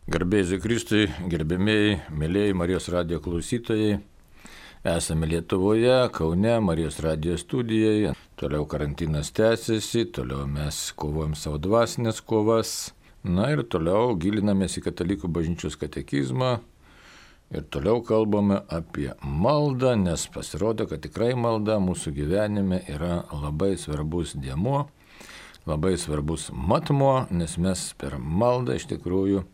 Garbėsiu Kristui, gerbėmiai, mėlyjei Marijos radijo klausytojai. Esame Lietuvoje, Kaune, Marijos radijo studijoje. Toliau karantinas tęsiasi, toliau mes kovojam savo dvasinės kovas. Na ir toliau gilinamės į katalikų bažnyčios katekizmą. Ir toliau kalbame apie maldą, nes pasirodo, kad tikrai malda mūsų gyvenime yra labai svarbus dėmuo, labai svarbus matmuo, nes mes per maldą iš tikrųjų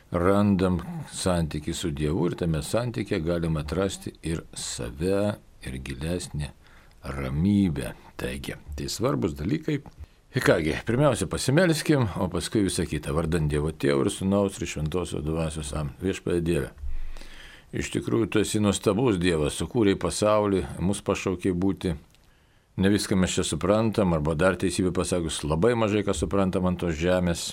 randam santykį su Dievu ir tame santykė galime atrasti ir save, ir gilesnį ramybę. Taigi, tai svarbus dalykai. Ir kągi, pirmiausia pasimelskim, o paskui visą kitą. Vardant Dievo Tėvo ir Sūnaus ir Šventosios Dvasios. Viešpatie Dieve. Iš tikrųjų, tu esi nuostabus Dievas, sukūrei pasaulį, mus pašaukei būti. Ne viską mes čia suprantam, arba dar teisybę pasakius, labai mažai ką suprantam ant tos žemės.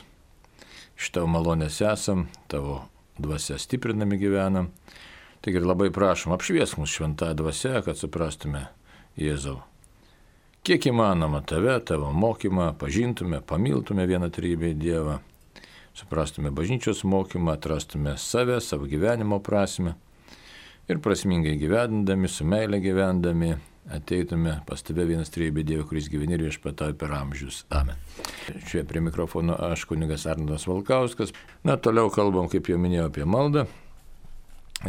Iš tavo malonės esam, tavo dvasia stiprinami gyvenam. Taigi ir labai prašom, apšviesk mus šventą dvasią, kad suprastume Jėzau. Kiek įmanoma tave, tavo mokymą, pažintume, pamiltume vieną trybę Dievą, suprastume bažnyčios mokymą, atrastume save, savo gyvenimo prasmę ir prasmingai gyvendami, su meile gyvendami, ateitume pas tave vienas trybė Dievo, kuris gyveni ir viešpatauja per amžius. Amen. Čia prie mikrofono aš, kunigas Arnoldas Valkauskas. Na, toliau kalbam, kaip jau minėjau, apie maldą.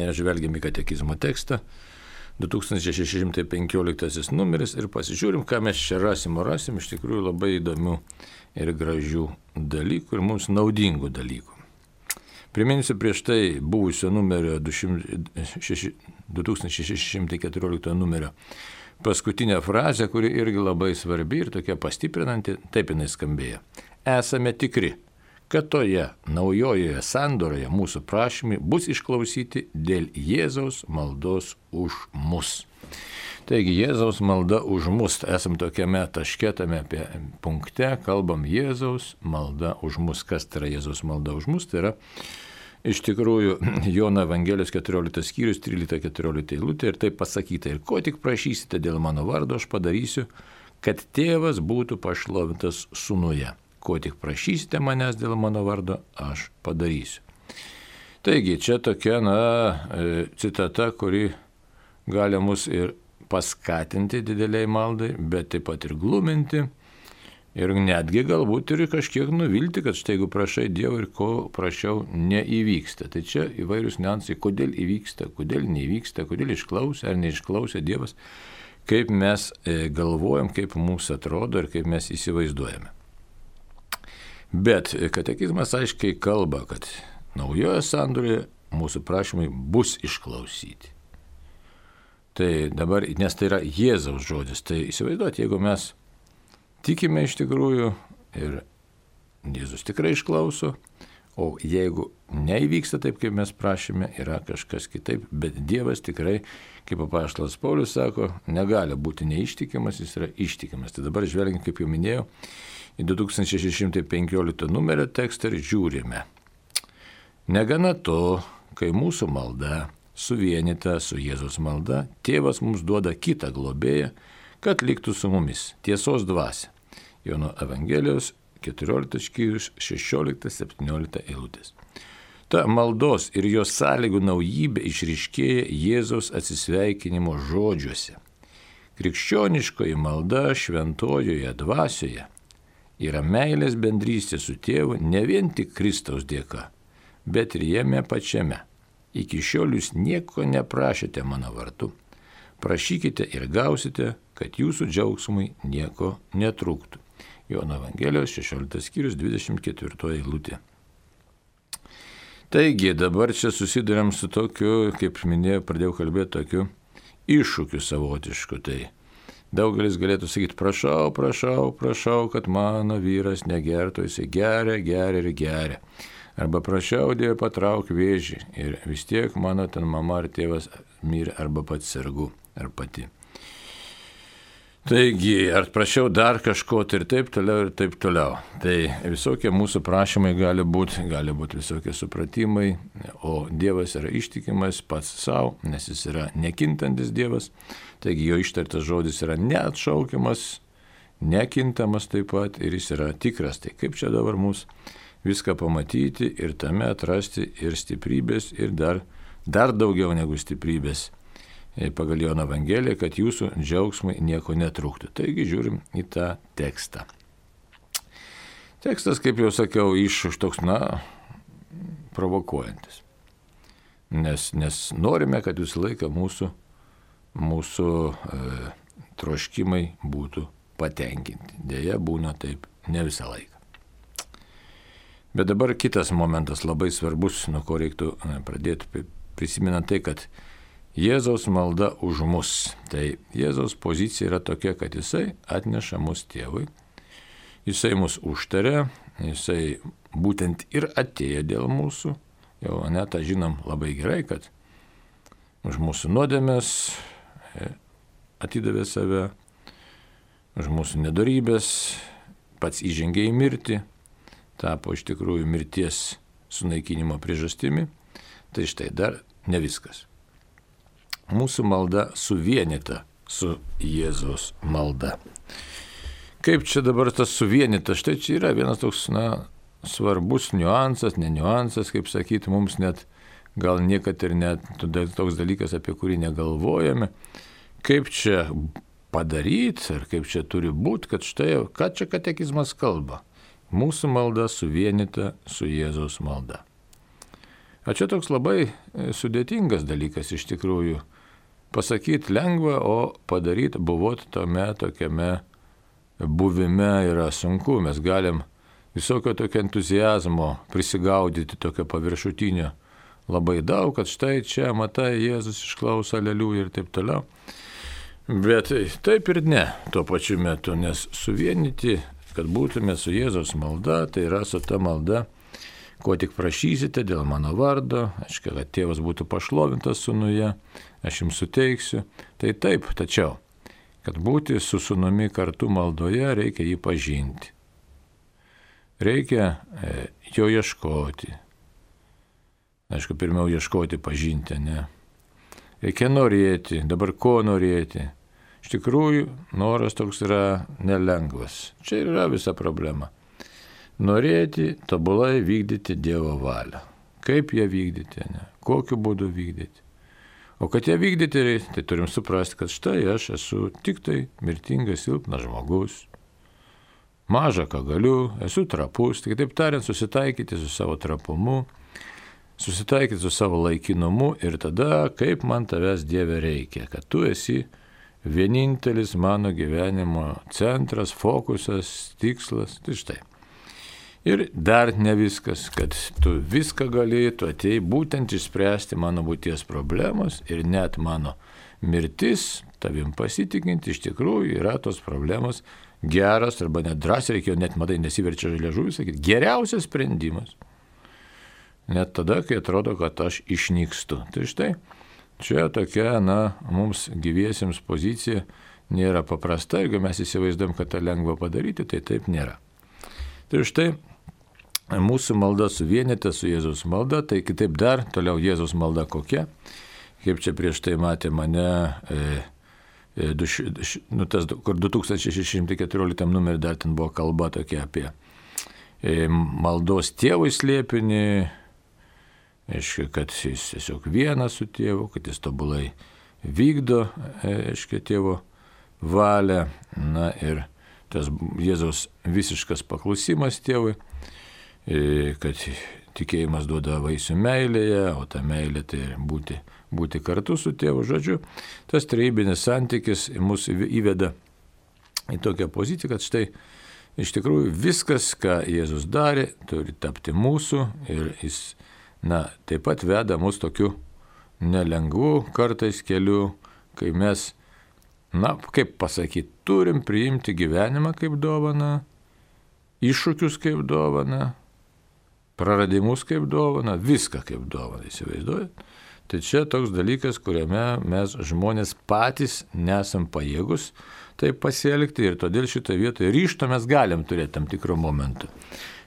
Ir žvelgiam į katekizmo tekstą. 2615 numeris ir pasižiūrim, ką mes čia rasim. Iš tikrųjų labai įdomių ir gražių dalykų ir mums naudingų dalykų. Priminsiu prieš tai buvusio numerio 2614 numerio paskutinę frazę, kuri irgi labai svarbi ir tokia pastiprinanti, taip jinai skambėjo. Esame tikri, kad toje naujojoje sandoroje mūsų prašymai bus išklausyti dėl Jėzaus maldos už mus. Taigi Jėzaus malda už mus, esam tokiame taške, tame punkte, kalbam Jėzaus malda už mus. Kas tai yra Jėzaus malda už mus? Tai yra iš tikrųjų Jono Evangelijos 14 skyrius 13-14 eilutė ir taip pasakyta. Ir ko tik prašysite dėl mano vardo, aš padarysiu, kad tėvas būtų pašlovintas sūnuje. Ko tik prašysite manęs dėl mano vardo, aš padarysiu. Taigi čia tokia citata, kuri gali mus ir paskatinti dideliai maldai, bet taip pat ir gluminti. Ir netgi galbūt ir kažkiek nuvilti, kad štai jeigu prašai Dievo ir ko prašiau neįvyksta. Tai čia įvairius niuansai, kodėl įvyksta, kodėl neįvyksta, kodėl išklausė ar neišklausė Dievas, kaip mes galvojam, kaip mums atrodo ir kaip mes įsivaizduojame. Bet katekizmas aiškiai kalba, kad naujoje sandoroje mūsų prašymai bus išklausyti. Tai dabar, nes tai yra Jėzaus žodis, tai įsivaizduoti, jeigu mes tikime iš tikrųjų ir Jėzus tikrai išklauso, o jeigu neįvyksta taip, kaip mes prašėme, yra kažkas kitaip, bet Dievas tikrai, kaip apaštalas Paulius sako, negali būti neištikimas, jis yra ištikimas. Tai dabar žvelgiant, kaip jau minėjau, į 2615 numerio tekstą ir žiūrime. Negana to, kai mūsų malda suvienyta su Jėzaus malda, Tėvas mums duoda kitą globėją, kad liktų su mumis, tiesos dvasia. Jono Evangelijos 14 skyrius 16-17 eilutės. Ta maldos ir jos sąlygų naujybė išryškėja Jėzaus atsisveikinimo žodžiuose. Krikščioniškoji malda šventojoje dvasioje yra meilės bendrystė su Tėvu ne vien tik Kristaus dėka, bet ir jame pačiame. Iki šiol jūs nieko neprašėte mano vardu. Prašykite ir gausite, kad jūsų džiaugsmui nieko netrūktų. Jono Evangelijos 16 skyrius 24 eilutė. Taigi dabar čia susiduriam su tokiu, kaip minėjau, pradėjau kalbėti tokiu iššūkiu savotišku. Tai daugelis galėtų sakyti, prašau, kad mano vyras negertų, jisai geria. Arba prašiau Dievą patrauk vėžį ir vis tiek mano ten mama ar tėvas mirė arba pats sergu ar pati. Taigi, ar prašiau dar kažko ir taip toliau. Tai visokie mūsų prašymai gali būti visokie supratimai, o Dievas yra ištikimas pats savo, nes jis yra nekintantis Dievas, taigi jo ištartas žodis yra neatšaukiamas, nekintamas taip pat ir jis yra tikras. Tai kaip čia dabar mums viską pamatyti ir tame atrasti ir stiprybės, ir dar daugiau negu stiprybės pagal Jono Evangeliją, kad jūsų džiaugsmui nieko netrūktų. Taigi žiūrim į tą tekstą. Tekstas, kaip jau sakiau, toks, provokuojantis. Nes norime, kad visą laiką mūsų troškimai būtų patenkinti. Deja, būna taip ne visą laiką. Bet dabar kitas momentas labai svarbus, nuo ko reiktų pradėti, prisimenant tai, kad Jėzaus malda už mus. Tai Jėzaus pozicija yra tokia, kad jisai atneša mus tėvui, jisai mus užtaria, jisai būtent ir atėjo dėl mūsų. Jau tą žinom labai gerai, kad už mūsų nuodėmes atidavė save, už mūsų nedorybės, pats įžengė į mirtį, tapo iš tikrųjų mirties sunaikinimo priežastimi. Tai štai dar ne viskas. Mūsų malda suvienyta su Jėzaus malda. Kaip čia dabar tas suvienyta? Štai čia yra vienas toks, svarbus niuansas, ne niuansas, kaip sakyti, mums net gal niekad ir net toks dalykas, apie kurį negalvojame. Kaip čia padaryti, ar kaip čia turi būti, kad štai, ką čia katekizmas kalba? Mūsų malda suvienyta su Jėzaus malda. O čia toks labai sudėtingas dalykas iš tikrųjų. Pasakyti lengva, o padaryti buvot tame tokiame buvime yra sunku. Mes galim visokio tokio entuzijazmo prisigaudyti, tokio paviršutinio labai daug, kad štai čia, matai, Jėzus išklauso, aleliuja ir taip toliau. Bet taip ir ne tuo pačiu metu, nes suvienyti, kad būtume su Jėzaus malda, tai yra su ta malda, ko tik prašysite dėl mano vardo, aiškiai, kad tėvas būtų pašlovintas sūnuje, aš jums suteiksiu. Tai taip, tačiau, kad būti su sūnumi kartu maldoje, reikia jį pažinti. Reikia jo ieškoti. Aišku, pirmiau ieškoti, pažinti, ne? Reikia norėti, dabar ko norėti? Iš tikrųjų, noras toks yra nelengvas. Čia yra visa problema. Norėti tobulai vykdyti Dievo valią. Kaip ją vykdyti, ne? Kokiu būdu vykdyti. O kad ją vykdyti, tai turim suprasti, kad štai aš esu tik tai mirtingas, silpnas žmogus. Maža ką galiu, esu trapus, tai kitaip tariant, susitaikyti su savo trapumu, susitaikyti su savo laikinumu ir tada, kaip man tavęs Dieve reikia, kad tu esi vienintelis mano gyvenimo centras, fokusas, tikslas, tai štai. Ir dar ne viskas, kad tu viską gali, tu atėjai būtent išspręsti mano būties problemos ir net mano mirtis, tavim pasitikinti, iš tikrųjų yra tos problemos geras, arba net drąsiai reikėjo, net matai, nesiverčia liežuvis, sakyti, geriausias sprendimas. Net tada, kai atrodo, kad aš išnykstu. Tai štai, čia tokia, mums gyviesiems pozicija nėra paprasta, jeigu mes įsivaizduojam, kad tą lengva padaryti, tai taip nėra. Tai štai, mūsų malda suvienyta su Jėzaus malda, tai kitaip dar, toliau Jėzaus malda kokia, kaip čia prieš tai matė mane, kur 2614 numerį dar ten buvo kalba tokia apie maldos tėvui slėpinį, aiškiai, kad jis tiesiog vienas su tėvu, kad jis tobulai vykdo, aiškiai, tėvo valią, ir tas Jėzaus visiškas paklusimas tėvui, kad tikėjimas duoda vaisių meilėje, o ta meilė tai būti kartu su tėvu. Žodžiu, tas trejybinis santykis mus įveda į tokią poziciją, kad štai iš tikrųjų viskas, ką Jėzus darė, turi tapti mūsų ir jis, taip pat veda mus tokiu nelengvu kartais keliu, kai mes, kaip pasakyti, turim priimti gyvenimą kaip dovaną, iššūkius kaip dovaną, praradimus kaip dovana, viską kaip dovana, įsivaizduojat? Tai čia toks dalykas, kuriame mes žmonės patys nesam pajėgus taip pasielgti ir todėl šitoje vietoje ryžto mes galim turėti tam tikrų momentų.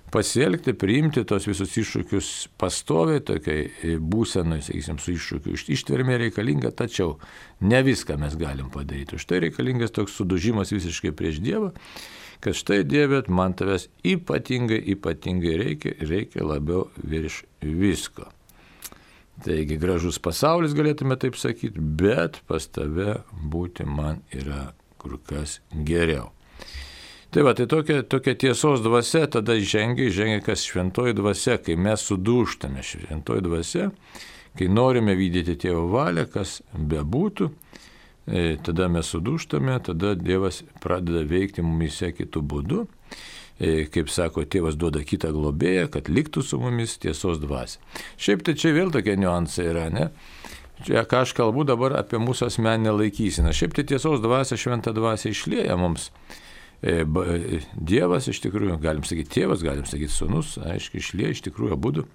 Pasielgti, priimti tos visus iššūkius pastoviai, tokiai būsenai, sakysim, su iššūkiu ištvermė reikalinga, tačiau ne viską mes galim padaryti. Už tai reikalingas toks sudužimas visiškai prieš Dievą, kad štai Dieve, man tavęs ypatingai reikia labiau virš visko. Taigi gražus pasaulis, galėtume taip sakyti, bet pas tave būti man yra kur kas geriau. Tai va, tai tokia tiesos dvasia tada žengia kas šventoji dvasia, kai mes sudūžtame šventoji dvasia, kai norime vykdyti Tėvo valią, kas bebūtų, tada mes sudūžtame, tada Dievas pradeda veikti mumise kitų būdų. Kaip sako, Tėvas duoda kitą globėją, kad liktų su mumis tiesos dvasia. Šiaip tai čia vėl tokie niuansai yra, ne? Čia, ką aš kalbu dabar apie mūsų asmeninę laikyseną. Šiaip tai tiesos dvasia, šventą dvasia išlieja mums. Dievas iš tikrųjų, galim sakyti tėvas, galim sakyti sūnus, aiškiai išlieja iš tikrųjų abudu.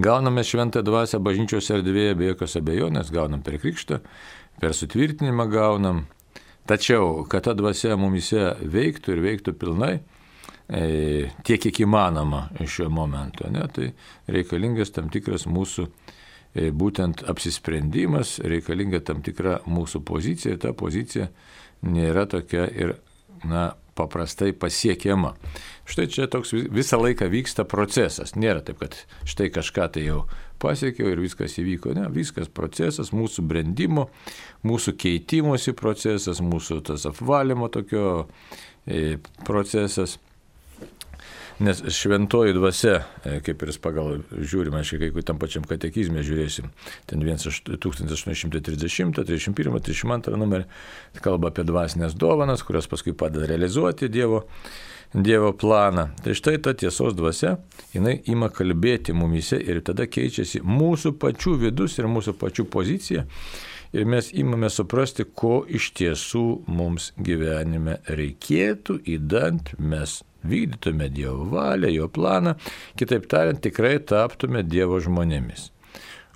Gauname šventą dvasią bažnyčios erdvėje, be jokios abejonės, gaunam per krikštą, per sutvirtinimą gaunam. Tačiau, kad ta dvasia mumise veiktų ir veiktų pilnai, tiek kiek įmanoma šiuo momentu, ne, tai reikalingas tam tikras mūsų būtent apsisprendimas, reikalinga tam tikra mūsų pozicija, ir ta pozicija nėra tokia ir paprastai pasiekiama. Štai čia toks visą laiką vyksta procesas. Nėra taip, kad štai kažką tai jau pasiekiau ir viskas įvyko. Ne, viskas procesas, mūsų brendimo, mūsų keitimosi procesas, mūsų tas apvalymo tokio procesas. Nes šventoji dvasia, kaip ir pagal žiūrime, aiškiai, kai tam pačiam katekizme žiūrėsim, ten 1830, 31, 32 numerį, kalba apie dvasinės dovanas, kurios paskui padeda realizuoti Dievo planą. Tai štai ta tiesos dvasia, jinai ima kalbėti mumise ir tada keičiasi mūsų pačių vidus ir mūsų pačių pozicija. Ir mes imame suprasti, ko iš tiesų mums gyvenime reikėtų, įdant mes vykdytume Dievo valią, jo planą, kitaip tariant, tikrai taptume Dievo žmonėmis.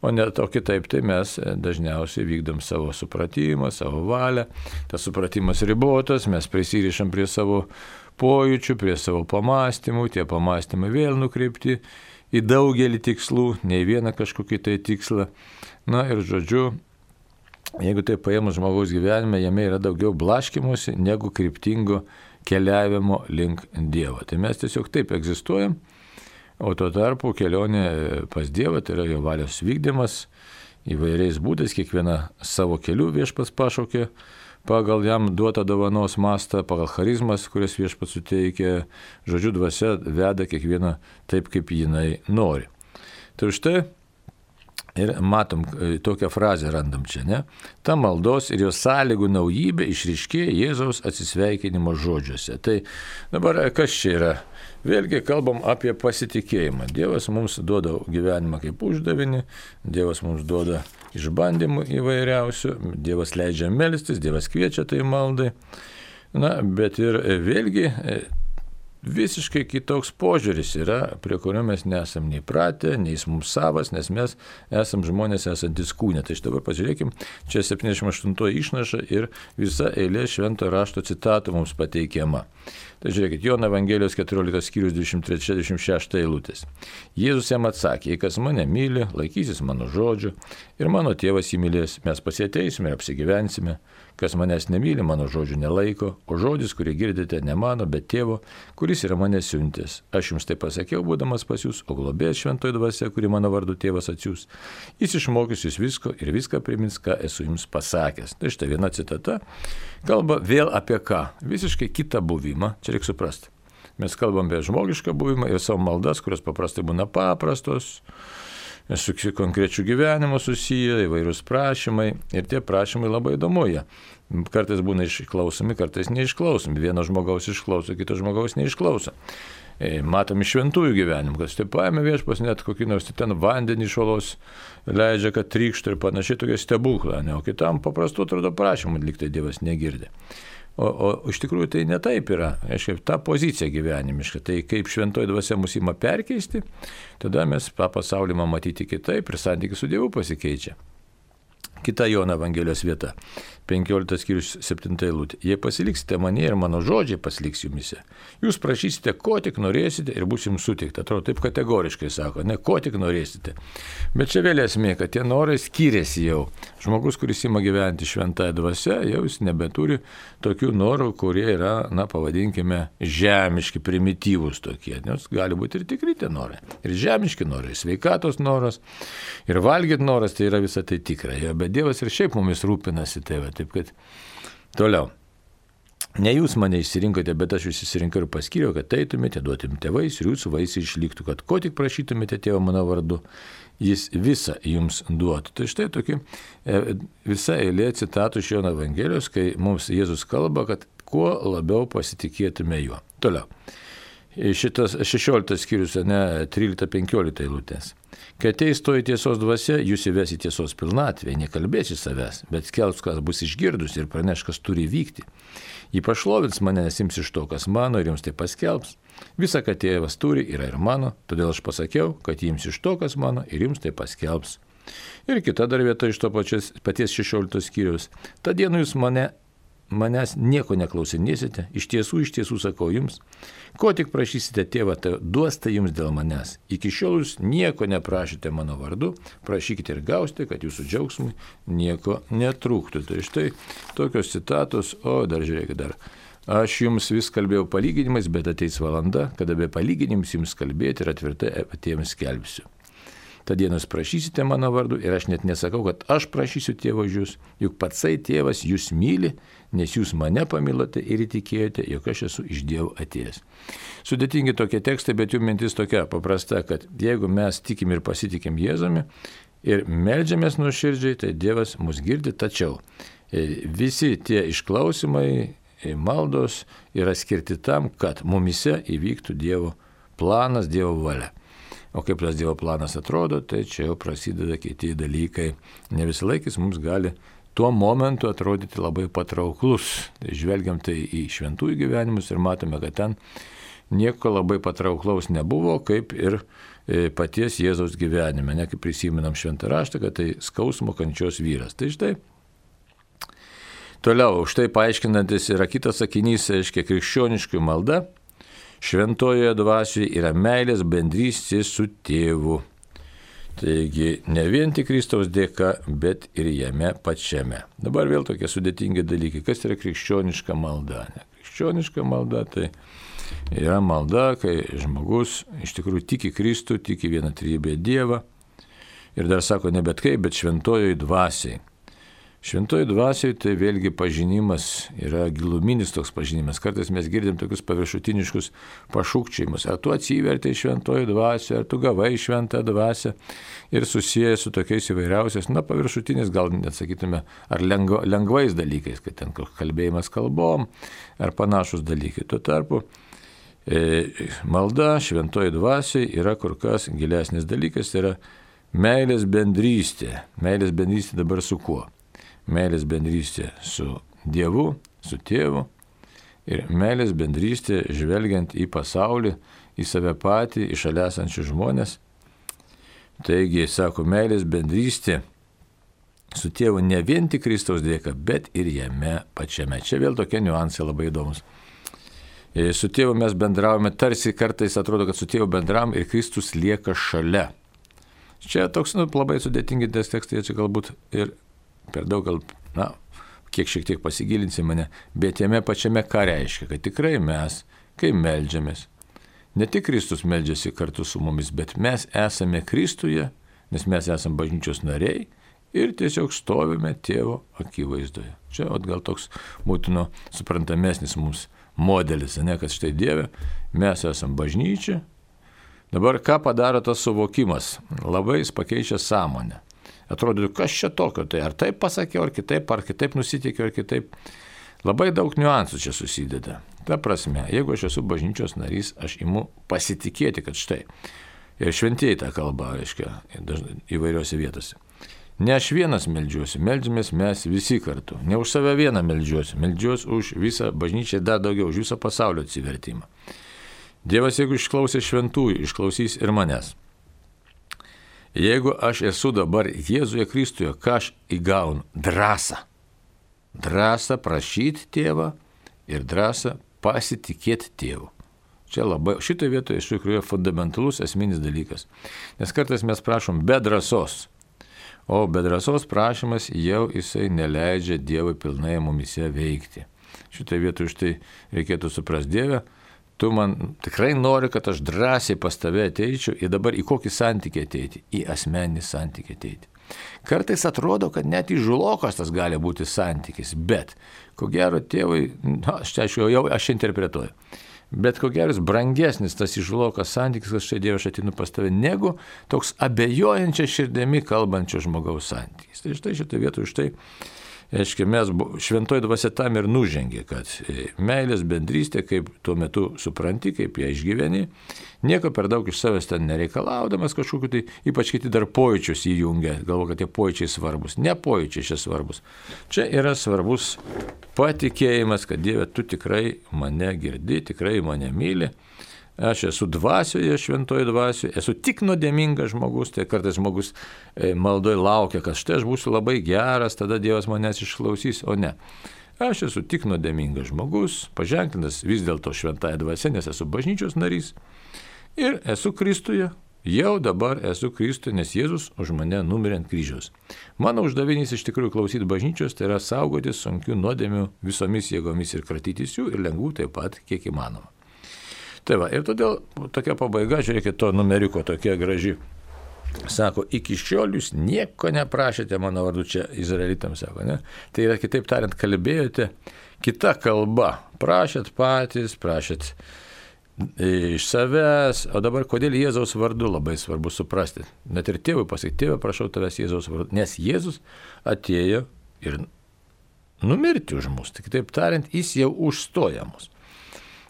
O kitaip tai mes dažniausiai vykdom savo supratimą, savo valią, tas supratimas ribotas, mes prisirišam prie savo pojūčių, prie savo pamastymų, tie pamastymai vėl nukreipti į daugelį tikslų, ne į vieną kažkokį tai tikslą. Na ir žodžiu, jeigu tai paėmus žmogaus gyvenime, jame yra daugiau blaškymosi negu kryptingo keliavimo link Dievo. Tai mes tiesiog taip egzistuojam, o tuo tarpu kelionė pas Dievą, tai yra jo valios vykdymas įvairiais būdais, kiekviena savo keliu viešpats pašaukė, pagal jam duotą dovanos mastą, pagal charizmas, kurias viešpats suteikia, žodžiu dvasia veda kiekvieną taip, kaip jinai nori. Tai štai ir matom, tokią frazę randam čia, ne? Ta maldos ir jos sąlygų naujybė išryškėja Jėzaus atsisveikinimo žodžiuose. Tai dabar kas čia yra? Vėlgi kalbam apie pasitikėjimą. Dievas mums duoda gyvenimą kaip uždavinį, Dievas mums duoda išbandymų įvairiausių, Dievas leidžia melstis, Dievas kviečia tai maldai. Na, bet ir vėlgi visiškai kitoks požiūris yra, prie kurio mes nesam nei pratę, nei jis mums savas, nes mes esam žmonės esantis kūne. Tai štai dabar pažiūrėkim, čia 78 išnaša ir visa eilė švento rašto citatų mums pateikiama. Tai žiūrėkit, Jono Evangelijos 14 skyrius 23-26 eilutės. Jėzus jam atsakė, jei kas mane myli, laikysis mano žodžių ir mano tėvas jį mylės, mes pasieteisime ir apsigyvensime. Kas manęs nemyli, mano žodžių nelaiko, o žodis, kurį girdite, ne mano, bet tėvo, kuris yra mane siuntęs. Aš jums tai pasakiau, būdamas pas jūs, o globėjas šventoji dvasia, kuri mano vardu tėvas atsiųs. Jis išmokys jūs visko ir viską primins, ką esu jums pasakęs. Tai štai viena citata. Kalba vėl apie ką? Visiškai kitą buvimą. Čia reikia suprasti. Mes kalbam apie žmogišką buvimą ir savo maldas, kurios paprastai būna paprastos, su konkrečiu gyvenimu susiję, įvairūs prašymai ir tie prašymai labai įdomu jie. Kartais būna išklausomi, kartais neišklausomi. Vieno žmogaus išklauso, kito žmogaus neišklauso. Matom iš šventųjų gyvenimų, kad štai paėmė viešpas net kokį nors ten vandenį iš uolos leidžia, kad trykštų ir panašiai tokie stebuklai, o kitam paprastų atrodo prašymų liktai Dievas negirdi. O iš tikrųjų tai ne taip yra, aiškiai, ta pozicija gyvenimiška, tai kaip šventoji dvasia mus ima perkeisti, tada mes tą pasaulį matyti kitaip ir santykis su Dievu pasikeičia. Kita Jono Evangelijos vieta, 15 skyrius 7 eilutė. Jei pasiliksite mane ir mano žodžiai pasiliks jumise, jūs prašysite, ko tik norėsite ir bus jums suteikta. Atrodo, taip kategoriškai sako, ne, ko tik norėsite. Bet čia vėl esmė, kad tie norai skiriasi jau. Žmogus, kuris ima gyventi šventąją dvasią, jau jis nebeturi tokių norų, kurie yra, pavadinkime, žemiški, primityvūs tokie. Nes gali būti ir tikri tie norai. Ir žemiški norai, sveikatos noras, ir valgyti noras, tai yra visą tai tikra. Bet Dievas ir šiaip mumis rūpinasi, tai va, taip kad toliau. Ne jūs mane išsirinkote, bet aš jūs išsirinkau ir paskyriau, kad eitumėte, duotumėte vaisių ir jūsų vaisiai išliktų, kad ko tik prašytumėte tėvo mano vardu, jis visą jums duotų. Tai štai tokia visa eilė citatų iš Jono Evangelijos, kai mums Jėzus kalba, kad kuo labiau pasitikėtume juo. Toliau. Šitas 16 skyrius, 13-15 eilutės. Kai ateis toji tiesos dvasia, jūs įves į tiesos pilnatvę, nekalbėsi savęs, bet skelbs, kas bus išgirdus ir praneš, kas turi vykti. Jį pašlovins mane, nes ims iš to, kas mano ir jums tai paskelbs. Visa, ką tėvas turi, yra ir mano, todėl aš pasakiau, kad jums iš to, kas mano ir jums tai paskelbs. Ir kita dar vieta iš to paties 16 skyrius. Ta diena jūs manęs nieko neklausinėsite, iš tiesų sakau jums, ko tik prašysite tėvą, tai duos tai jums dėl manęs. Iki šiol jūs nieko neprašėte mano vardu, prašykite ir gausite, kad jūsų džiaugsmui nieko netrūktų. Tai štai tokios citatos, dar žiūrėkit dar. Aš jums vis kalbėjau palyginimais, bet ateis valanda, kada be palyginimus jums kalbėti ir atvirtai patiems skelbsiu. Ta diena jūs prašysite mano vardu ir aš net nesakau, kad aš prašysiu tėvo už jūs, juk patsai tėvas jūs myli, nes jūs mane pamilote ir įtikėjote, jog aš esu iš Dievo atėjęs. Sudėtingi tokie tekstai, bet jų mintis tokia paprasta, kad jeigu mes tikim ir pasitikim Jėzumi ir meldžiamės nuoširdžiai, tai Dievas mus girdi, tačiau visi tie išklausimai, maldos yra skirti tam, kad mumise įvyktų Dievo planas, Dievo valia. O kaip tas Dievo planas atrodo, tai čia jau prasideda kiti dalykai. Ne visą laikis mums gali tuo momentu atrodyti labai patrauklus. Tai žvelgiam tai į šventųjų gyvenimus ir matome, kad ten nieko labai patrauklaus nebuvo, kaip ir paties Jėzaus gyvenime. Ne kaip prisiminam šventą raštą, kad tai skausmo kančios vyras. Tai štai. Toliau, štai paaiškinantis yra kitas sakinys, aiškiai, krikščioniškų malda. Šventojoje dvasioje yra meilės bendrystė su tėvu. Taigi ne vien tik Kristaus dėka, bet ir jame pačiame. Dabar vėl tokie sudėtingi dalykai. Kas yra krikščioniška malda? Krikščioniška malda tai yra malda, kai žmogus iš tikrųjų tiki Kristų, tiki vieną trejybę Dievą. Ir dar sako ne bet kaip, bet šventojoje dvasiai. Šventoji dvasioje tai vėlgi pažinimas yra giluminis toks pažinimas. Kartais mes girdim tokius paviršutiniškus pašūkčiajimus. Ar tu atsivertei šventoji dvasioje, ar tu gavai šventą dvasią ir susijęs su tokiais įvairiausiais, paviršutinis gal net sakytume, ar lengvais dalykais, kad ten kalbėjimas kalbom, ar panašus dalykai. Tuo tarpu malda šventoji dvasioje yra kur kas gilesnis dalykas, tai yra meilės bendrystė. Meilės bendrystė dabar su kuo? Meilės bendrystė su Dievu, su tėvu ir meilės bendrystė žvelgiant į pasaulį, į save patį, į šalia esančius žmonės. Taigi, sako, meilės bendrystė su tėvu ne vien tik Kristaus dėka, bet ir jame pačiame. Čia vėl tokie niuansai labai įdomus. Su tėvu mes bendravome, tarsi kartais atrodo, kad su tėvu bendravom ir Kristus lieka šalia. Čia toks labai sudėtingi tekstai, čia galbūt ir per daug gal, kiek šiek tiek pasigilinsim mane, bet jame pačiame ką reiškia, kad tikrai mes, kai meldžiamės, ne tik Kristus meldžiasi kartu su mumis, bet mes esame Kristuje, nes mes esame bažnyčios nariai ir tiesiog stovime tėvo akivaizdoje. Čia gal toks būtų suprantamesnis mums modelis, kad štai Dieve, mes esame bažnyčia. Dabar ką padaro tas suvokimas? Labai jis pakeičia sąmonę. Atrodo, kas čia tokio, tai ar taip pasakiau, ar kitaip nusiteikiau, ar kitaip. Labai daug niuansų čia susideda. Ta prasme, jeigu aš esu bažnyčios narys, aš imu pasitikėti, kad štai. Ir šventieji tą kalbą, reiškia, įvairiose vietose. Ne aš vienas meldžiuosi, meldžiamės mes visi kartu. Ne už save vieną meldžiuosi, meldžiuosi už visą bažnyčią ir dar daugiau, už visą pasaulio atsivertimą. Dievas, jeigu išklausė šventųjų, išklausys ir manęs. Jeigu aš esu dabar Jėzuje Kristuje, ką aš įgaunu? Drąsą. Drąsą prašyti tėvą ir drąsą pasitikėti tėvu. Čia labai, šitoje vietoje iš tikrųjų fundamentalus esminis dalykas. Nes kartais mes prašom be drąsos. O be drąsos prašymas jau jisai neleidžia Dievui pilnai mumise veikti. Šitoje vietoje štai reikėtų suprasti, Dieve, tu man tikrai nori, kad aš drąsiai pas tave ateičiau ir dabar į kokį santykį ateiti? Į asmeninį santykį ateiti. Kartais atrodo, kad net įžulokas tas gali būti santykis, bet ko gero tėvai, aš interpretuoju, bet ko geras brangesnis tas įžulokas santykis, kad štai Dieve aš atinu pas tave, negu toks abejojančia širdimi kalbančio žmogaus santykis. Tai štai šitą vietą už tai, aiškiai, mes šventoji dvasia tam ir nužengė, kad meilės bendrystė, kaip tuo metu supranti, kaip ją išgyveni, nieko per daug iš savęs ten nereikalaudamas kažkokiu, tai ypač kiti dar pojūčius įjungia, galvo, kad tie pojūčiai svarbus. Ne pojūčiai čia svarbus. Čia yra svarbus patikėjimas, kad Dieve, tu tikrai mane girdi, tikrai mane myli. Aš esu dvasioje, šventoje dvasioje, esu tik nuodėmingas žmogus, tai kartais žmogus maldoje laukia, kad štai aš būsiu labai geras, tada Dievas manęs išklausys, o ne. Aš esu tik nuodėmingas žmogus, paženklintas vis dėlto šventąją dvasią, nes esu bažnyčios narys ir esu Kristuje, jau dabar esu Kristuje, nes Jėzus už mane numirė ant kryžiaus. Mano uždavinys iš tikrųjų klausyti bažnyčios, tai yra saugoti sunkių nuodėmių visomis jėgomis ir kratytis jų ir lengvų taip pat, kiek įmanoma. Tai va, ir todėl tokia pabaiga, žiūrėkit, to numeriuko tokia graži. Sako, iki šiol jūs nieko neprašėte mano vardu, čia izraelitams sako, ne? Tai yra, kitaip tariant, kalbėjote kita kalba. Prašėt patys, prašėt iš savęs, o dabar kodėl Jėzaus vardu labai svarbu suprasti. Net ir tėvui pasakyti, tėvą prašau tavęs Jėzaus vardu, nes Jėzus atėjo ir numirti už mus. Tai kitaip tariant, jis jau užstoja mus.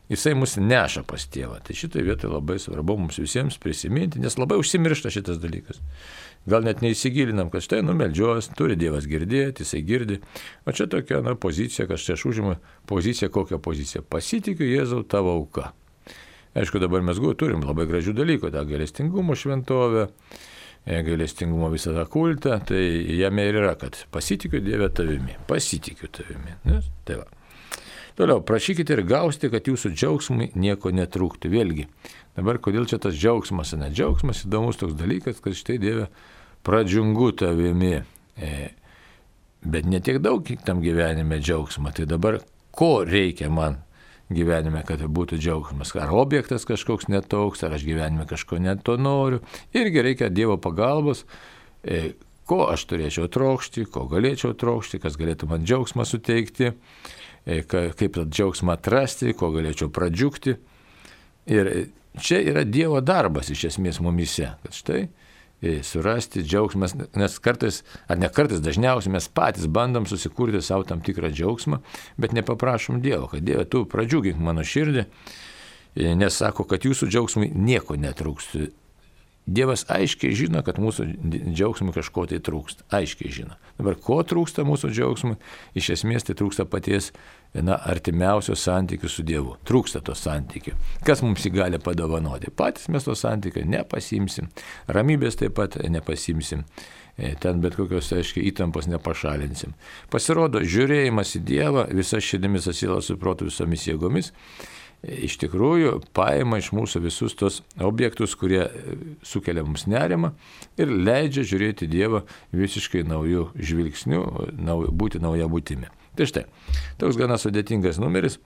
Jisai mus neša pas tėvą. Tai šitoje vietoje labai svarbu mums visiems prisiminti, nes labai užsimiršta šitas dalykas. Gal net neįsigilinam, kad štai numeldžios, turi Dievas girdėti, jisai girdi. O čia tokia pozicija, kad štai aš užimu poziciją, kokią poziciją? Pasitikiu Jėzau tavo auka. Aišku, dabar mes turim labai gražių dalykų, tą gailestingumo šventovę, gailestingumo visą tą kultą, tai jame ir yra, kad pasitikiu Dieve tavimi, pasitikiu tavimi. Nes, tai va. Toliau, prašykite ir gausite, kad jūsų džiaugsmui nieko netrūktų. Vėlgi, dabar kodėl čia tas džiaugsmas? Ne džiaugsmas įdomus toks dalykas, kad štai Dieve pradžiungu tavimi, bet ne tiek daug tam gyvenime džiaugsmo. Tai dabar ko reikia man gyvenime, kad būtų džiaugsmas? Ar objektas kažkoks netoks, ar aš gyvenime kažko neto noriu. Irgi reikia Dievo pagalbos, ko aš turėčiau trokšti, ko galėčiau trokšti, kas galėtų man džiaugsmą suteikti. Kaip tą džiaugsmą atrasti, ko galėčiau pradžiugti. Ir čia yra Dievo darbas iš esmės mumise, kad štai surasti džiaugsmą, nes kartais, ar ne kartais, dažniausiai mes patys bandom susikurti savo tam tikrą džiaugsmą, bet nepaprašom Dievo, kad Dieve, tu pradžiugink mano širdį, nes sako, kad jūsų džiaugsmui nieko netrūks. Dievas aiškiai žino, kad mūsų džiaugsmui kažko tai trūksta. Aiškiai žino. Dabar ko trūksta mūsų džiaugsmui? Iš esmės tai trūksta paties artimiausio santykių su Dievu. Trūksta to santykių. Kas mums jį gali padovanoti? Patys mes to santykių nepasimsim. Ramybės taip pat nepasimsim. Ten bet kokios, aiškiai, įtampos nepašalinsim. Pasirodo, žiūrėjimas į Dievą visą širdimi, sąsiela su protu, visomis jėgomis iš tikrųjų paima iš mūsų visus tos objektus, kurie sukelia mums nerimą ir leidžia žiūrėti Dievą visiškai naujų žvilgsnių, būti nauja būtimi. Tai štai, toks gana sudėtingas numeris,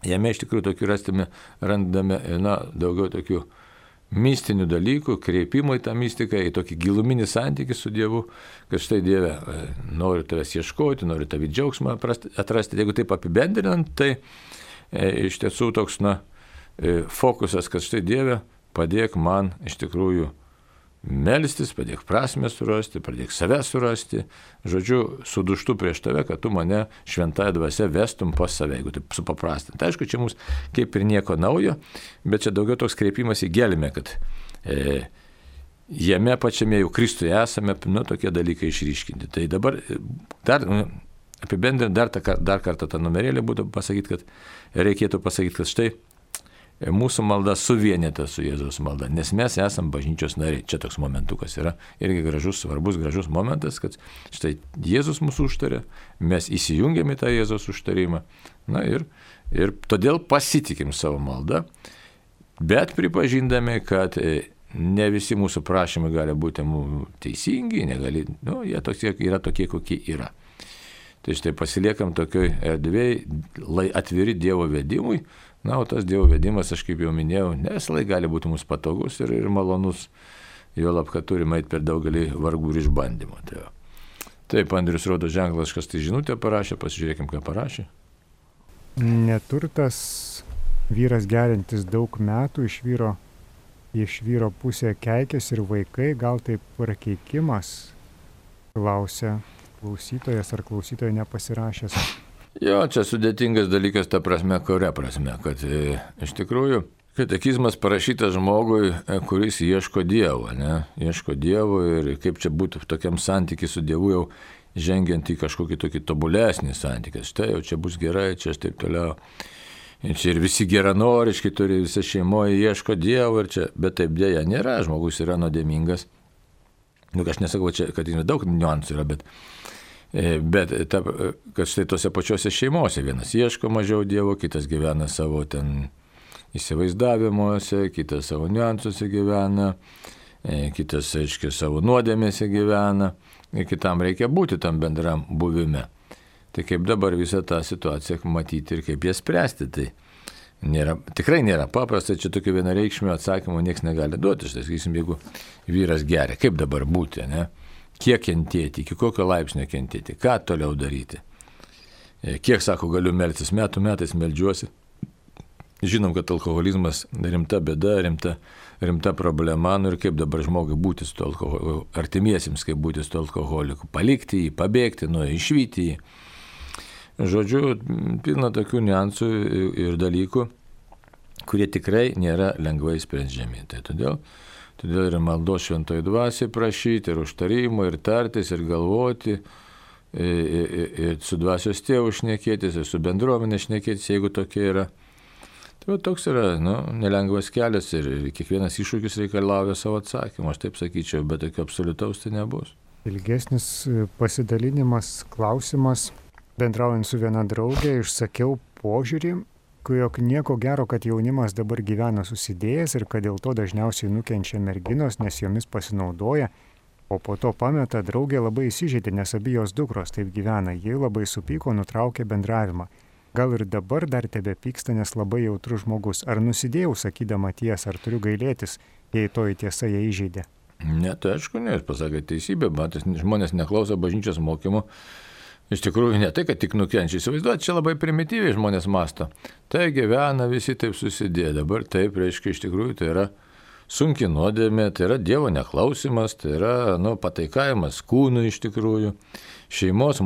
jame iš tikrųjų randame daugiau tokių mistinių dalykų, kreipimo į tą mistiką, į tokį giluminį santykį su Dievu, kad štai Dieve, noriu tavęs ieškoti, noriu tavį džiaugsmą atrasti. Jeigu taip apibendrinant, tai iš tiesų toks fokusas, kad štai Dieve, padėk man iš tikrųjų melstis, padėk prasmę surasti, padėk save surasti, žodžiu, suduštų prieš tave, kad tu mane šventąją dvasią vestum pas save, jeigu taip supaprastinti. Tai aišku, čia mums kaip ir nieko naujo, bet čia daugiau toks kreipimas į gelmę, kad jame pačiame jau Kristuje esame, tokie dalykai išryškinti. Tai dabar dar apibendrinti dar kartą tą numerėlį būtų pasakyti, kad reikėtų pasakyti, kad štai mūsų malda suvienyta su Jėzaus malda, nes mes esam bažnyčios nariai. Čia toks momentukas yra irgi gražus, svarbus, gražus momentas, kad štai Jėzus mūsų užtarė, mes įsijungiam į tą Jėzaus užtarimą, na ir todėl pasitikim savo maldą, bet pripažindami, kad ne visi mūsų prašymai gali būti teisingi, jie yra tokie, kokie yra. Tai štai pasiliekam tokioj erdvėj, atviri Dievo vedimui, na, o tas Dievo vedimas, aš kaip jau minėjau, ne visą laiką gali būti mums patogus ir malonus, juolab, kad turime eiti per daugelį vargų ir išbandymų. Taip, Andrius rodo ženklas, kas tai žinutę parašė, pasižiūrėkim, ką parašė. Neturtas vyras gerintis daug metų, iš vyro pusė keikės ir vaikai, gal tai prakeikimas, klausia klausytojas ar klausytoja nepasirašęs. Jo, čia sudėtingas dalykas ta prasme, kuria prasme, kad iš tikrųjų katekizmas parašytas žmogui, kuris ieško Dievo, ne? Ieško Dievo ir kaip čia būtų tokiam santykiui su Dievu jau žengiant į kažkokį tokį tobulesnį santykį. Štai jau čia bus gerai, čia taip toliau. Ir čia ir visi geranoriški turi, visa šeimoje ieško Dievo ir čia, bet taip dėja nėra, žmogus yra nuodėmingas. Aš nesakau, čia, kad daug niuansų yra, bet kad štai tose pačiose šeimose vienas ieško mažiau Dievo, kitas gyvena savo ten įsivaizdavimuose, kitas savo niuansuose gyvena, kitas, aiškiai, savo nuodėmėse gyvena ir kitam reikia būti tam bendram buvime. Tai kaip dabar visą tą situaciją matyti ir kaip ją spręsti, tai tikrai nėra paprasta, čia tokio vienareikšmio atsakymo niekas negali duoti. Štai, sakysim, jeigu vyras geria, kaip dabar būti, ne? Kiek kentėti, iki kokio laipsnio kentėti, ką toliau daryti. Kiek, sako, galiu melstis, metais meldžiuosi. Žinom, kad alkoholizmas rimta bėda, rimta problema, ir kaip dabar žmogui būti su alkoholiku, artimiesiems kaip būti su alkoholiku, palikti jį, pabėgti nuo jį, išvyti jį. Žodžiu, pilna tokių niuansų ir dalykų, kurie tikrai nėra lengvai sprendžiami. Tai todėl ir maldos šventoji dvasiai prašyti, ir užtarimo, ir tartis, ir galvoti, ir su dvasios tėvu šnekėtis, ir su bendruomenė šnekėtis, jeigu tokia yra. Tai toks yra nelengvas kelias ir kiekvienas iššūkis reikalauja savo atsakymą, aš taip sakyčiau, bet tokio absoliutaus tai nebus. Ilgesnis pasidalinimas, klausimas. Bendraujant su viena draugė, išsakiau požiūrį, jog nieko gero, kad jaunimas dabar gyvena susidėjęs ir kad dėl to dažniausiai nukenčia merginos, nes jomis pasinaudoja, o po to pameta, draugė labai įsižeidė, nes abi jos dukros taip gyvena, ji labai supyko, nutraukė bendravimą. Gal ir dabar dar tebe pyksta, nes labai jautrus žmogus. Ar nusidėjau sakydama tiesą, ar turiu gailėtis, jei toji tiesa ją įžeidė? Ne, tai aišku, ne, jūs pasakėte teisybę, bet žmonės neklauso bažnyčios mokymų. Iš tikrųjų, ne tai, kad tik nukenčia. Įsivaizduoti, čia labai primityviai žmonės masto. Tai gyvena, visi taip susidėjo. Dabar taip, reiškia, iš tikrųjų, tai yra sunki nuodėmė, tai yra Dievo neklausimas, tai yra pataikavimas kūnui iš tikrųjų, šeimos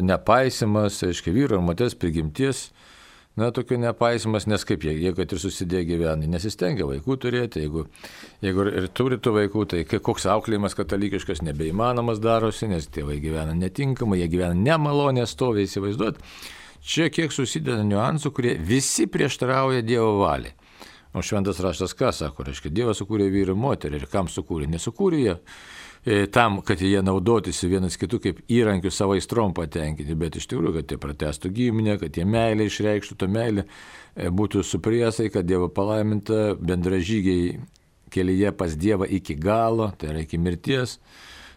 nepaisimas, reiškia, vyro ir moters prigimties, tokio nepaisimas, nes kaip jie kad ir susidėjo gyvena, nesistengia vaikų turėti, jeigu ir turi tų vaikų, tai koks auklėjimas katalikiškas nebeįmanomas darosi, nes tėvai gyvena netinkamai, jie gyvena nemalonę stoviai, įsivaizduot. Čia kiek susideda niuansų, kurie visi prieštarauja Dievo valiai. O šventas raštas ką sako, reiškia, Dievas sukūrė vyrą ir moterį ir kam sukūrė? Nesukūrė jie tam, kad jie naudotysi vienas kitų kaip įrankių savo aistrom patenkinti, bet iš tikrųjų, kad jie pratęstų giminę, kad jie meilę išreikštų, to meilė būtų su priesaika, Dievo palaiminta, bendražygiai kelyje pas Dievą iki galo, tai yra iki mirties.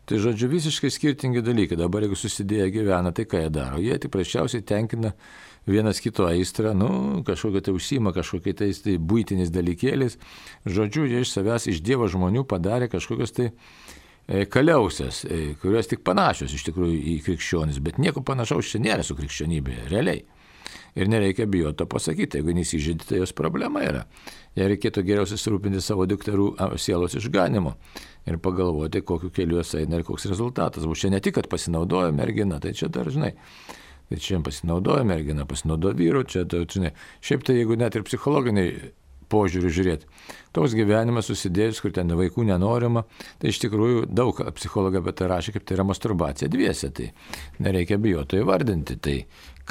Tai žodžiu, visiškai skirtingi dalykai. Dabar jeigu susidėję gyvena, tai ką jie daro? Jie tik prasčiausiai tenkina vienas kito aistrą, kažkokia tai užsima, kažkokia tai buitinis dalykėlis. Žodžiu, jie iš savęs, iš Dievo žmonių padarė kažkokios tai kaliausias, kurios tik panašios iš tikrųjų į krikščionis, bet nieko panašaus čia nėra su krikščionybė, realiai. Ir nereikia bijoti to pasakyti, jeigu nesižeidė, tai jos problema yra. Jei reikėtų geriau susirūpinti savo dukterų sielos išganimu ir pagalvoti, kokiu keliu jos eina ir koks rezultatas. Čia ne tik, kad pasinaudojo mergina, tai čia dar, žinai, tai čia pasinaudojo mergina, pasinaudojo vyru, čia, tai, žinai, šiaip tai jeigu net ir psichologiniai požiūrių žiūrėti. Toks gyvenimas susidėjus, kur ten vaikų nenorima, tai iš tikrųjų daug psichologai apie tai rašė, kaip tai yra masturbacija dviese, tai nereikia bijoti įvardinti. Tai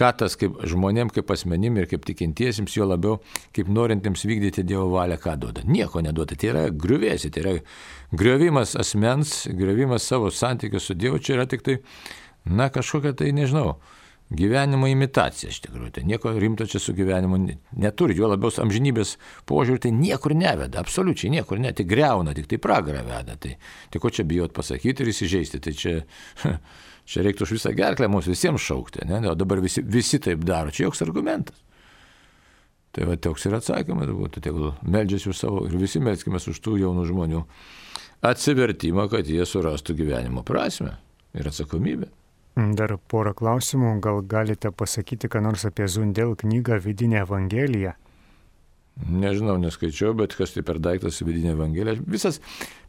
ką tas kaip žmonėm, kaip asmenim ir kaip tikintiesiems, jo labiau kaip norintiems vykdyti Dievo valią, ką duoda. Nieko neduoda. Tai yra griuvėsi, tai yra griovimas asmens, griovimas savo santykių su Dievu. Čia yra tik tai, kažkokia tai, nežinau, gyvenimo imitacija iš tikrųjų. Tai nieko rimto čia su gyvenimu neturi. Jo labiau amžinybės požiūrį tai niekur neveda. Absoliučiai niekur ne. Tai greuna, tik tai pragarą veda. Tai ko čia bijot pasakyti ir įsižeisti. Tai čia reiktų už visą gerklę mums visiems šaukti. Ne? O dabar visi taip daro. Čia joks argumentas. Tai va, toks ir atsakymas būtų. Tegul meldžiasi už savo ir visi melskimės už tų jaunų žmonių atsivertimą, kad jie surastų gyvenimo prasmę ir atsakomybę. Dar porą klausimų. Gal galite pasakyti, ką nors apie Zundel knygą Vidinė Evangelija? Nežinau, neskaičiau, bet kas tai per daiktas Vidinė Evangelija. Visas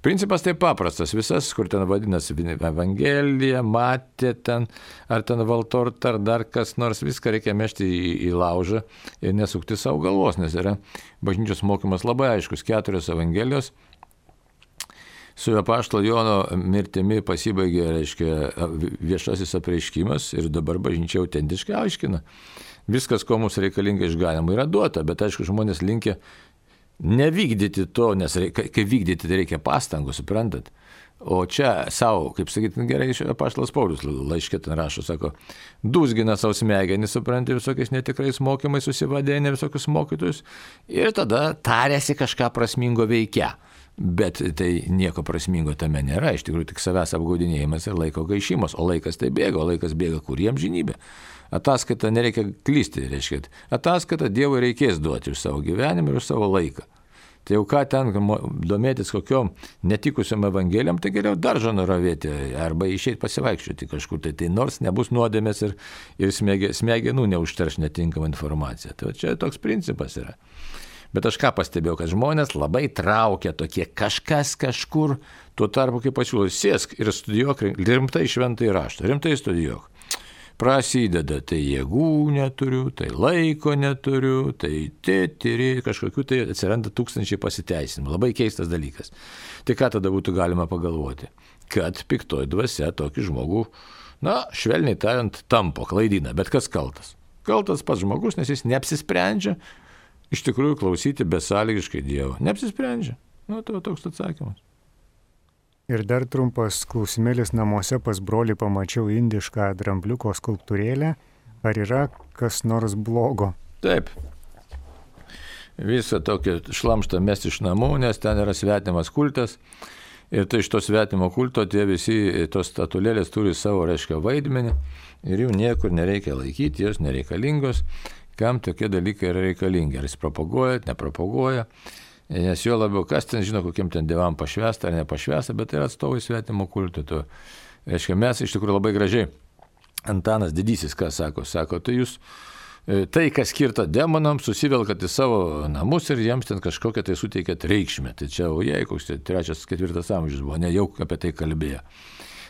principas tai paprastas. Visas, kur ten vadinasi Evangelija, matė ten, ar ten valtort, ar dar kas nors, viską reikia mešti į laužą ir nesukti savo galvos, nes yra bažnyčios mokymas labai aiškus. 4 Evangelijos. Su apaštalo Jono mirtimi pasibaigė, reiškia, viešasis apreiškimas ir dabar bažnyčia autentiškai aiškina. Viskas, ko mums reikalinga išganimui, yra duota, bet aišku, žmonės linkia nevykdyti to, nes kai vykdyti, tai reikia pastangų, suprantat. O čia savo, kaip sakyti, gerai, apaštalas Paulius laiške ten rašo, sako, dūzgina savo smegenį, supranti, visokiais netikrais mokymais susivadėnė visokius mokytojus ir tada tarėsi kažką prasmingo veikia. Bet tai nieko prasmingo tame nėra, iš tikrųjų tik savęs apgaudinėjimas ir laiko gaišimas, o laikas tai bėga, o laikas bėga kur jiems žinybė. Ataskaitą nereikia klysti, reiškia, ataskaitą Dievui reikės duoti už savo gyvenimą ir už savo laiką. Tai jau ką ten domėtis kokiom netikusiom evangelijom, tai geriau daržą nuravėti arba išeiti pasivaikščioti kažkur, tai nors nebus nuodėmės ir smegenų neužterš netinkama informacija. Tai čia toks principas yra. Bet aš ką pastebėjau, kad žmonės labai traukia tokie kažkas kažkur, tuo tarpu kaip pasiūlau, sėsk ir studijuok rimtai šventąjį raštą, rimtai studijuok. Prasideda, tai jėgų neturiu, tai laiko neturiu, tai kažkokių tai atsiranda tūkstančiai pasiteisinimų. Labai keistas dalykas. Tai ką tada būtų galima pagalvoti? Kad piktoji dvasia tokį žmogų, švelniai tariant, tampo, klaidina. Bet kas kaltas? Kaltas pats žmogus, nes jis neapsisprendžia iš tikrųjų klausyti besąlygiškai Dievo. Neapsisprendžia. Tai toks atsakymas. Ir dar trumpas klausimėlis. Namuose pas brolį pamačiau indišką drambliuko skulptūrėlę. Ar yra kas nors blogo? Taip. Visą tokį šlamštą mesti iš namų, nes ten yra svetimas kultas. Ir tai iš to svetimo kulto tie visi tos statulėlės turi savo, reiškia, vaidmenį. Ir jų niekur nereikia laikyti, jos nereikalingos. Kam tokie dalykai yra reikalingi, ar jis propaguoja, nepropaguoja, nes jo labiau kas ten žino, kokiem ten dievam pašvęsta ar nepašvęsta, bet tai yra atstovai svetimo kulto. Reiškia, mes iš tikrųjų labai gražiai, Antanas Didysis, ką sako, tai jūs tai, kas skirta demonams, susivelkat į savo namus ir jiems ten kažkokią tai suteikėt reikšmę. Tai čia, koks 3-4 amžius buvo, ne jau apie tai kalbėjo.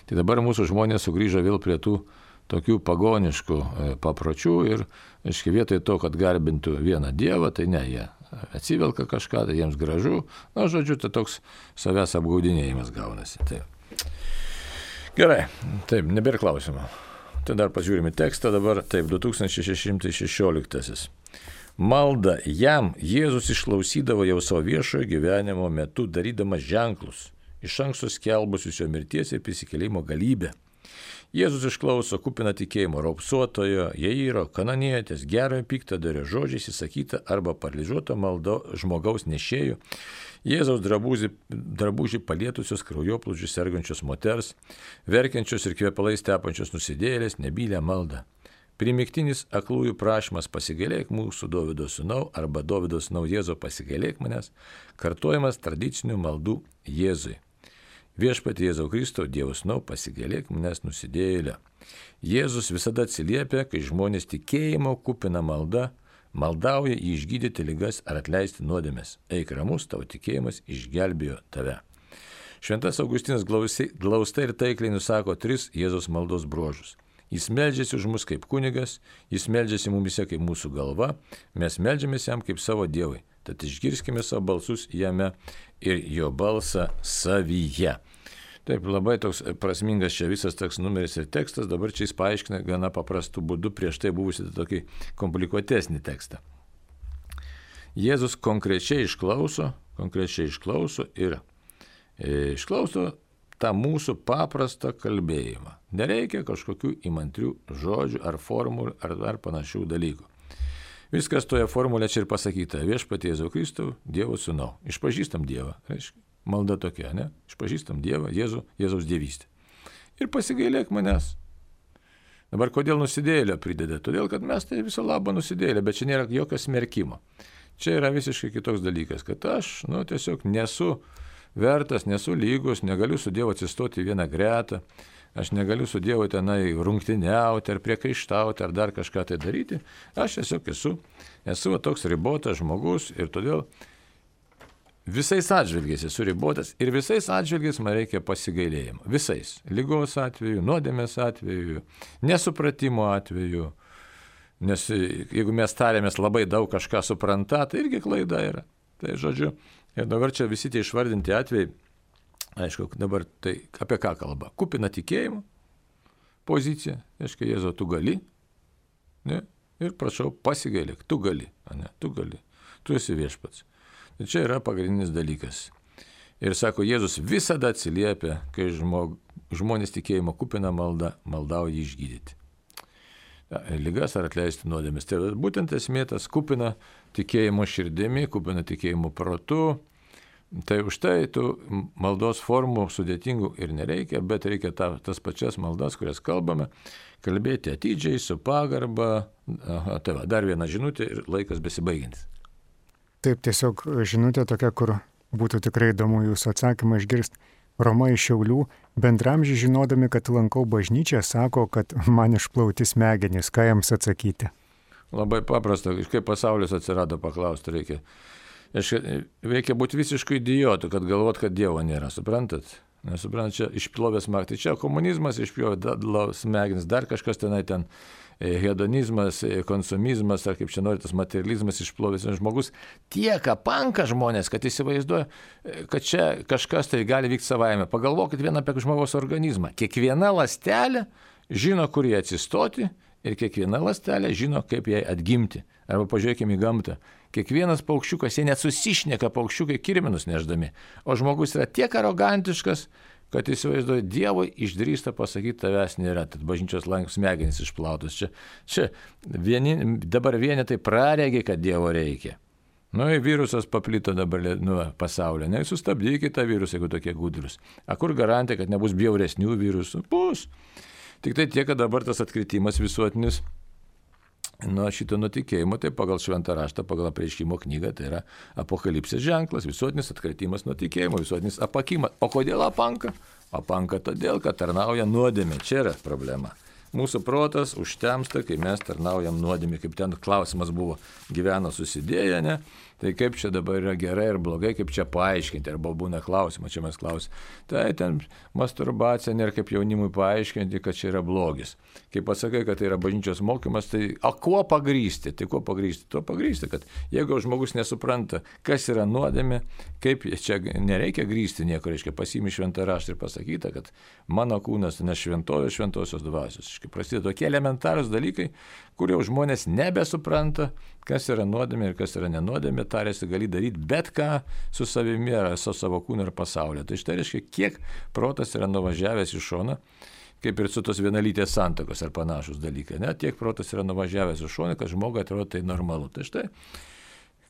Tai dabar mūsų žmonės sugrįžo vėl prie tų tokių pagoniškų papročių ir, aiškiai, vietoj to, kad garbintų vieną dievą, tai ne, jie atsivelka kažką, tai jiems gražu, žodžiu, tai toks savęs apgaudinėjimas gaunasi. Tai. Gerai, taip, nebėra klausimų. Tai dar pažiūrime tekstą dabar, taip, 2616. Malda jam Jėzus išklausydavo jau savo viešojo gyvenimo metu, darydamas ženklus, iš anksto skelbusius jo mirties ir prisikėlimo galybę. Jėzus išklauso kupina tikėjimo raupsuotojo, Jairo, kananietės, gerojo piktadario žodžiais įsakyta arba paralyžiuoto maldo žmogaus nešėjų, Jėzaus drabužį palietusios kraujoplūdžių sergančios moters, verkiančios ir kvepalais tepančios nusidėjėlės nebylę maldą. Primiktinis aklųjų prašymas pasigailėk mūsų Dovydo sūnau arba Dovydo sūnau Jėzau pasigailėk manęs, kartojamas tradicinių maldų Jėzui. Viešpatie Jėzau Kristau, Dievo sūnau, pasigailėk manęs nusidėjėlio. Jėzus visada atsiliepia, kai žmonės tikėjimo kupina malda, maldauja jį išgydyti ligas ar atleisti nuodėmes. Eik ramus, tavo tikėjimas išgelbėjo tave. Šventas Augustinas glaustai ir taikliai nusako 3 Jėzaus maldos bruožus. Jis meldžiasi už mus kaip kunigas, jis meldžiasi mumise kaip mūsų galva, mes meldžiamės jam kaip savo Dievui. Tad išgirskime savo balsus jame ir jo balsą savyje. Taip, labai toks prasmingas čia visas toks numeris ir tekstas, dabar čia jis paaiškina gana paprastų būdų prieš tai buvusi tokį komplikuotesnį tekstą. Jėzus konkrečiai išklauso ir išklauso tą mūsų paprastą kalbėjimą. Nereikia kažkokių įmantrių žodžių ar formulių ar panašių dalykų. Viskas toje formulėje čia ir pasakyta. Viešpatie Jėzau Kristau, Dievo sūnau. Išpažįstam Dievą, reiškia. Malda tokia, ne? Išpažįstam Dievą, Jėzaus dievystę. Ir pasigailėk manęs. Dabar kodėl nusidėjėlio prideda? Todėl, kad mes tai viso labo nusidėjėlė, bet čia nėra jokio smerkimo. Čia yra visiškai kitoks dalykas, kad aš, tiesiog nesu vertas, nesu lygus, negaliu su Dievu atsistoti vieną gretą, aš negaliu su Dievu tenai rungtyniauti ar priekaištauti ar dar kažką tai daryti. Aš tiesiog esu toks ribotas žmogus ir todėl visais atžvilgiais esu ribotas ir visais atžvilgiais man reikia pasigailėjimo. Visais. Ligos atveju, nuodėmės atveju, nesupratimo atveju. Nes jeigu mes tarėmės labai daug kažką supranta, tai irgi klaida yra. Tai žodžiu, ir dabar čia visi tie išvardinti atvejai, aišku, dabar tai apie ką kalba? Kupina tikėjimo pozicija, aišku, Jėzau, tu gali, ne? Ir prašau, pasigailėk, tu gali, ne? Tu gali, tu esi viešpats. Tai čia yra pagrindinis dalykas. Ir sako, Jėzus visada atsiliepia, kai žmonės tikėjimo kupina malda, maldauja jį išgydyti. Ligas ar atleisti nuodėmes. Tai būtent esmė tas kupina tikėjimo širdimi, kupina tikėjimo protu. Tai už tai tų maldos formų sudėtingų ir nereikia, bet reikia tas pačias maldas, kurias kalbame, kalbėti atidžiai, su pagarba. Tai va, dar viena žinutė ir laikas besibaigiantis. Taip, tiesiog žinutė tokia, kur būtų tikrai įdomu jūsų atsakymą išgirsti. Roma iš Šiaulių, bendramžiai žinodami, kad lankau bažnyčią, sako, kad man išplauti smegenys. Ką jiems atsakyti? Labai paprasta, kaip pasaulis atsirado, paklausti reikia. Reikia būti visiškai idiotu, kad galvot, kad Dievo nėra, suprantat? Nesuprantat, čia išplovė smegenys. Tai čia komunizmas išplovė smegenys, dar kažkas tenai ten. Hedonizmas, konsumizmas, ar kaip čia nori, tas materializmas išplovęs žmogus tiek apanka žmonės, kad įsivaizduoja, kad čia kažkas tai gali vykti savaime. Pagalvokit vieną apie žmogaus organizmą. Kiekviena ląstelė žino, kur jie atsistoti ir kiekviena ląstelė žino, kaip jai atgimti. Arba pažiūrėkime į gamtą. Kiekvienas paukščiukas, jie net susišneka paukščiukai kirminus neždami. O žmogus yra tiek arogantiškas, kad įsivaizduoja, Dievui išdrįsta pasakyti, tavęs nėra, tad bažnyčios smegenys išplautos. Čia dabar vienetai praregė, kad Dievo reikia. Virusas paplito dabar pasaulyje. Sustabdykite tą virusą, jeigu tokie gudrus. Kur garantija, kad nebus bjauresnių virusų? Bus. Tik tai tiek, kad dabar tas atkritimas visuotinis šito nutikėjimo, tai pagal šventą raštą, pagal apreiškimo knygą, tai yra apokalipsės ženklas, visuotinis atkritimas nuo tikėjimo, visuotinis apakimas. O kodėl apanka? Apanka todėl, kad tarnauja nuodėmė. Čia yra problema. Mūsų protas užtemsta, kai mes tarnaujam nuodėmė, kaip ten klausimas buvo, gyvena susidėję, ne? Tai kaip čia dabar yra gerai ir blogai, kaip čia paaiškinti, arba būna klausimas, čia mes klausim. Tai ten masturbacija nėra kaip jaunimui paaiškinti, kad čia yra blogis. Kai pasakai, kad tai yra bažnyčios mokymas, tai kuo pagrįsti? Tai kuo pagrįsti? Tuo pagrįsti, kad jeigu žmogus nesupranta, kas yra nuodėmė, kaip čia nereikia grįsti nieko, reiškia pasiimi šventą raštą ir pasakyta, kad mano kūnas ne šventovė šventosios dvasios. Prasideda tokie elementarūs dalykai, kurie žmonės nebesupranta, kas yra nuodėmė ir kas yra nenuodėmė, tarėsi gali daryti bet ką su savimi ar su savo kūnu ir pasauliu. Tai štai reiškia, kiek protas yra nuvažiavęs į šoną, kaip ir su tos vienalytės santuokos ar panašus dalykai. Ne? Tiek protas yra nuvažiavęs į šoną, kad žmogui atrodo tai normalu. Tai štai,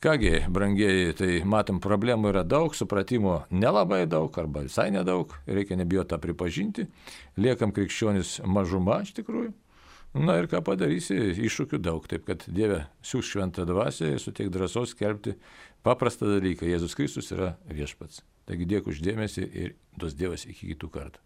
kągi, brangieji, tai matom, problemų yra daug, supratimo nelabai daug arba visai nedaug, reikia nebijoti tą pripažinti, liekam krikščionis mažuma iš tikrųjų. Ir ką padarysi, iššūkių daug, taip kad Dieve siųs šventą dvasią ir suteik drąsos skelbti paprastą dalyką, Jėzus Kristus yra viešpats. Taigi dėkui už dėmesį ir duos Dievas iki kitų kartų.